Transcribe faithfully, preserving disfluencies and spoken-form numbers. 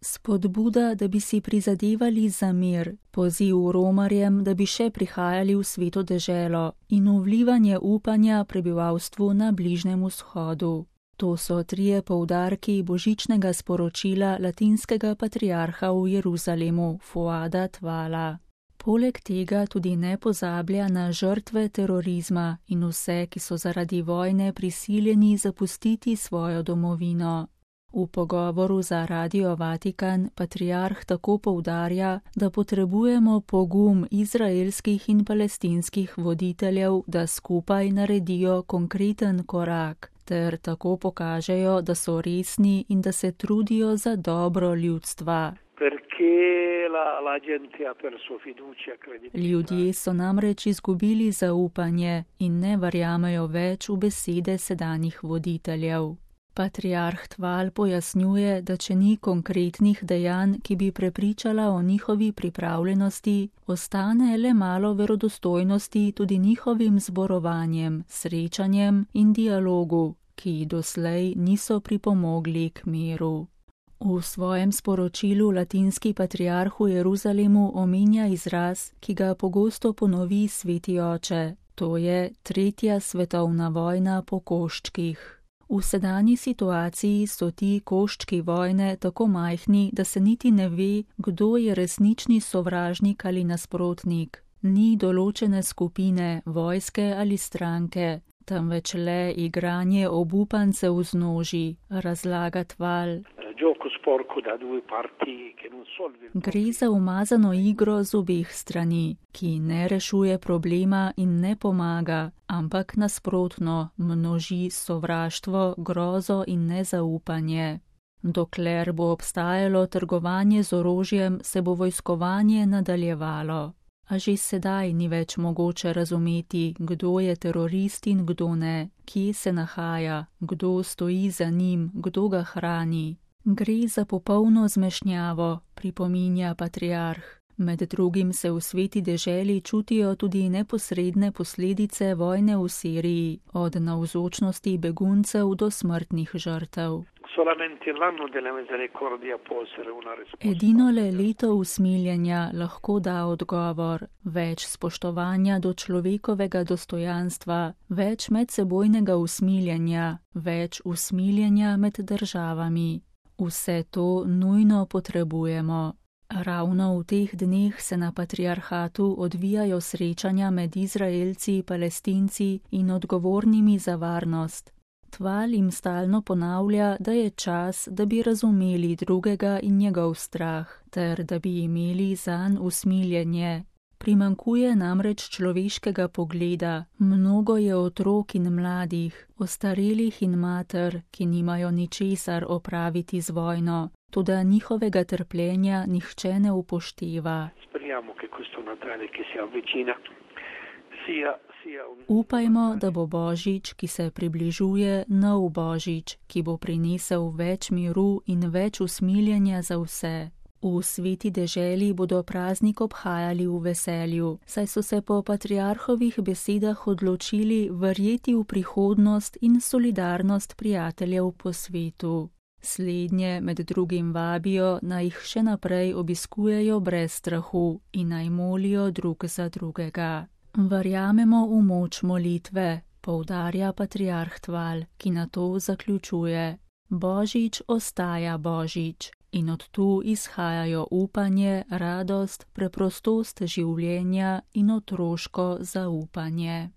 Spodbuda, da bi si prizadevali za mir, poziv Romarjem, da bi še prihajali v Sveto deželo in vlivanje upanja prebivalstvu na Bližnjem vzhodu. To so trije poudarki božičnega sporočila latinskega patriarha v Jeruzalemu, Fuada Tvala. Poleg tega tudi ne pozablja na žrtve terorizma in vse, ki so zaradi vojne prisiljeni zapustiti svojo domovino. V pogovoru za Radio Vatikan patriarh tako poudarja, da potrebujemo pogum izraelskih in palestinskih voditeljev, da skupaj naredijo konkreten korak, ter tako pokažejo, da so resni in da se trudijo za dobro ljudstva. Ljudje so namreč izgubili zaupanje in ne verjamejo več v besede sedanjih voditeljev. Patriarh Tval pojasnjuje, da če ni konkretnih dejanj, ki bi prepričala o njihovi pripravljenosti, ostane le malo verodostojnosti tudi njihovim zborovanjem, srečanjem in dialogu, ki doslej niso pripomogli k miru. V svojem sporočilu latinski patriarh v Jeruzalemu omenja izraz, ki ga pogosto ponovi sveti oče, to je tretja svetovna vojna po koščkih. V sedanji situaciji so ti koščki vojne tako majhni, da se niti ne ve, kdo je resnični sovražnik ali nasprotnik. Ni določene skupine, vojske ali stranke, temveč le igranje obupancev z noži, razlaga Tval. Gre za umazano igro z obeh strani, ki ne rešuje problema in ne pomaga, ampak nasprotno, množi sovraštvo, grozo in nezaupanje. Dokler bo obstajalo trgovanje z orožjem, se bo vojskovanje nadaljevalo. A že sedaj ni več mogoče razumeti, kdo je terorist in kdo ne, kje se nahaja, kdo stoji za njim, kdo ga hrani. Gre za popolno zmešnjavo, pripominja patriarh. Med drugim se v sveti deželi čutijo tudi neposredne posledice vojne v Siriji, od navzočnosti beguncev do smrtnih žrtev. Edino le leto usmiljenja lahko da odgovor, več spoštovanja do človekovega dostojanstva, več medsebojnega usmiljenja, več usmiljenja med državami. Vse to nujno potrebujemo. Ravno v teh dneh se na patriarhatu odvijajo srečanja med Izraelci, Palestinci in odgovornimi za varnost. Tval jim stalno ponavlja, da je čas, da bi razumeli drugega in njegov strah, ter da bi imeli zanj usmiljenje. Primankuje namreč človeškega pogleda, mnogo je otrok in mladih, ostarelih in mater, ki nimajo ničesar opraviti z vojno, toda njihovega trpljenja nihče ne upošteva. Upajmo, da bo Božič, ki se približuje, nov Božič, ki bo prinesel več miru in več usmiljenja za vse. V sveti deželi bodo praznik obhajali v veselju, saj so se po patriarhovih besedah odločili verjeti v prihodnost in solidarnost prijateljev po svetu. Slednje med drugim vabijo, naj jih še naprej obiskujejo brez strahu in naj molijo drug za drugega. Verjamemo v moč molitve, poudarja patriarh Tval, ki na to zaključuje. Božič ostaja Božič. In od tu izhajajo upanje, radost, preprostost življenja in otroško zaupanje.